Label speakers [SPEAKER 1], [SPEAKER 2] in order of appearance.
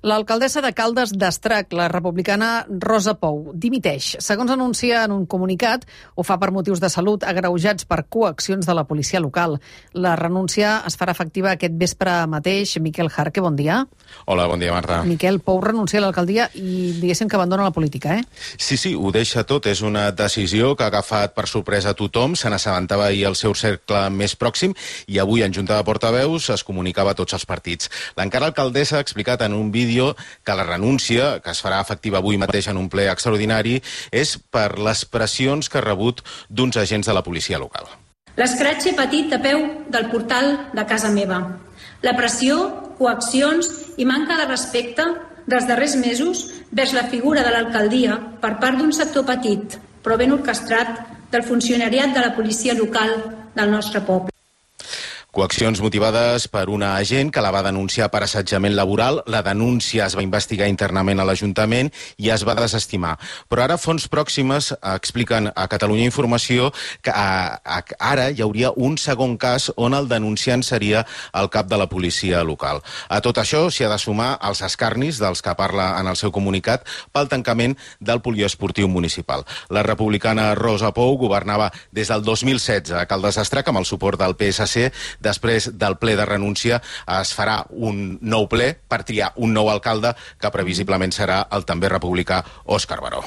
[SPEAKER 1] L'alcaldessa de Caldes d'Estrac, la republicana Rosa Pou, dimiteix. Segons anuncia en un comunicat, ho fa per motius de salut agreujats per coaccions de la policia local. La renúncia es farà efectiva aquest vespre mateix. Miquel Jarque, bon dia.
[SPEAKER 2] Hola, bon dia, Marta.
[SPEAKER 1] Miquel, Pou renuncia a l'alcaldia i diguéssim que abandona la política, eh?
[SPEAKER 2] Sí, ho deixa tot. És una decisió que ha agafat per sorpresa a tothom. Se n'assabentava ahir el seu cercle més pròxim i avui en Junta de Portaveus es comunicava a tots els partits. L'encara alcaldessa ha explicat en un vídeo que la renúncia, que es farà efectiva avui mateix en un ple extraordinari, és per les pressions que ha rebut d'uns agents de la policia local.
[SPEAKER 3] L'escratx petit a peu del portal de casa meva. La pressió, coaccions i manca de respecte dels darrers mesos vers la figura de l'alcaldia per part d'un sector petit, però ben orquestrat, del funcionariat de la policia local del nostre poble.
[SPEAKER 2] Coaccions motivades per una agent que la va denunciar per assetjament laboral. La denúncia es va investigar internament a l'Ajuntament i es va desestimar. Però ara fonts pròximes expliquen a Catalunya Informació que ara hi hauria un segon cas on el denunciant seria el cap de la policia local. A tot això s'hi ha de sumar els escarnis dels que parla en el seu comunicat pel tancament del poliesportiu municipal. La republicana Rosa Pou governava des del 2016 a Caldes d'Estrac amb el suport del PSC. Després del ple de renúncia es farà un nou ple per triar un nou alcalde que previsiblement serà el també republicà Òscar Baró.